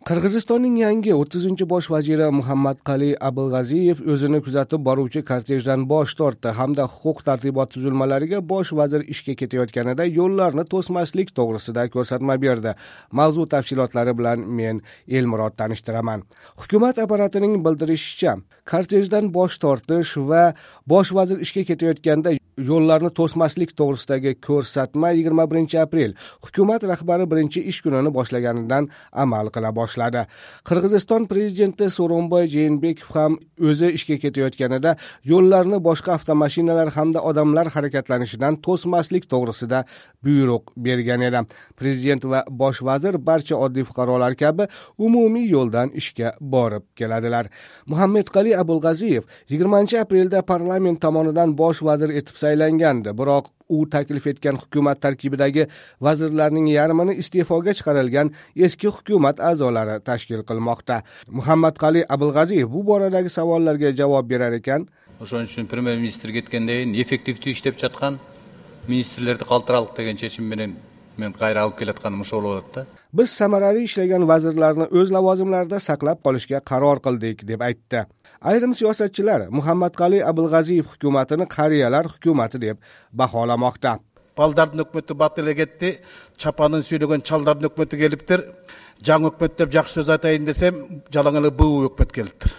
Qirg'izistonning yangi 30-bosh vaziri Muhammadqali Abulg'aziyev o'zini kuzatib boruvchi kortejdan bosh tortdi hamda huquq tartibot tuzilmalariga bosh vazir ishga ketayotganida yo'llarni to'smaslik to'g'risida ko'rsatma berdi. Mavzu tafsilotlari bilan men Elmurod tanishtiraman. Hukumat apparatining bildirishicha, kortejdan bosh tortish va bosh vazir ishga ketayotganda yo'llarni to'smaslik to'g'risidagi ko'rsatma 21-aprel hukumat rahbari birinchi ish kunini boshlaganidan amal qila boshladi. Qirg'iziston prezidenti So'ronboy Jeenbekov ham o'zi ishga ketayotganida yo'llarni boshqa avtomashinalar hamda odamlar harakatlanishidan to'smaslik to'g'risida buyruq bergan edi. Prezident va bosh vazir barcha oddiy fuqarolar kabi umumiy yo'ldan ishga borib keladilar. Muhammadqali Abulg'aziyev 20-aprelda parlament tomonidan bosh vazir etib saylangandi, biroq u taklif etgan hukumat tarkibidagi vazirlarning yarmini iste'foga chiqarilgan eski hukumat a'zolari tashkil qilmoqda. Muhammadqali Abulg'aziyev bu boradagi savollarga javob berar ekan, ошон үчүн премьер-министр кеткенден кийин эффективдүү иштеп жаткан министрлерди калтыралык деген чечим менен мен кайра алып келатканым ошол болот да. Biz samarali ishlagan vazirlarni o'z lavozimlarida saqlab qolishga qaror qildik, deb aytdi. Ayrim siyosatchilar Muhammadqali Abulg'aziyev hukumatini qariyalar hukumati deb baholamoqda. Балдардын өкмөтү бат эле кетти, чапанын сүйлөгөн чалдардын өкмөтү келиптир. Жаңы өкмөт деп жакшы сөз айтайын десем, жалаң эле буу өкмөт келиптир.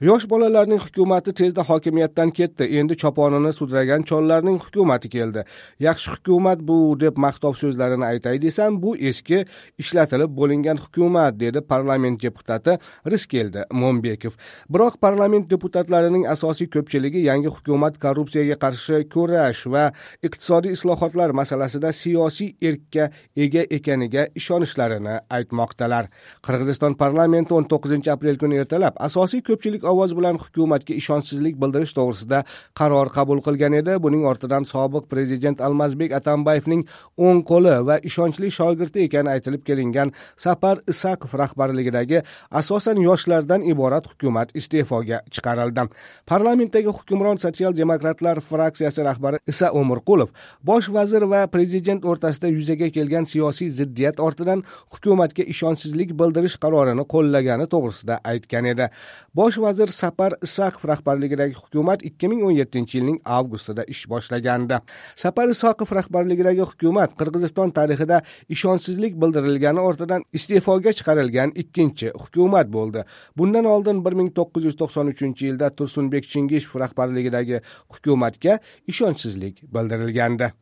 Yosh bolalarning hukumati tezda hokimiyatdan ketdi. Endi choponini sudragan chollarning hukumati keldi. Yaxshi hukumat bu deb maqtov so'zlarini aytay desam, bu eski ishlatilib bo'lingan hukumat, dedi parlament deputati Riskeldi Mo'nbekov. Biroq parlament deputatlarining asosiy ko'pchiligi yangi hukumat korrupsiyaga qarshi kurash va iqtisodiy islohotlar masalasida siyosiy erkka ega ekaniga ishonishlarini aytmoqdalar. Qirg'iziston parlamenti 19-aprel kuni ertalab asosiy ko'pchilik ovoz bilan hukumatga ishonchsizlik bildirish to'g'risida qaror qabul qilgan edi. Buning ortidan sobiq prezident Almazbek Atambayevning o'ng qo'li va ishonchli shogirdi ekani aytilib kelingan Sapar Isakov rahbarligidagi asosan yoshlardan iborat hukumat iste'foga chiqarildi. Parlamentdagi hukmron sotsial-demokratlar fraksiyasi rahbari Isa O'mirqulov bosh vazir va prezident o'rtasida yuzaga kelgan siyosiy ziddiyat ortidan hukumatga ishonchsizlik bildirish qarorini qo'llagani to'g'risida aytgan edi. Bosh vazir Sapar Isakov rahbarligidagi hukumat 2017-yilning avgustida ish boshlagandi. Sapar Isakov rahbarligidagi hukumat Qirg'iziston tarixida ishonchsizlik bildirilgani ortidan iste'foga chiqarilgan ikkinchi hukumat bo'ldi. Bundan oldin 1993-yilda Tursunbek Chingishev rahbarligidagi hukumatga ishonchsizlik bildirilgandi.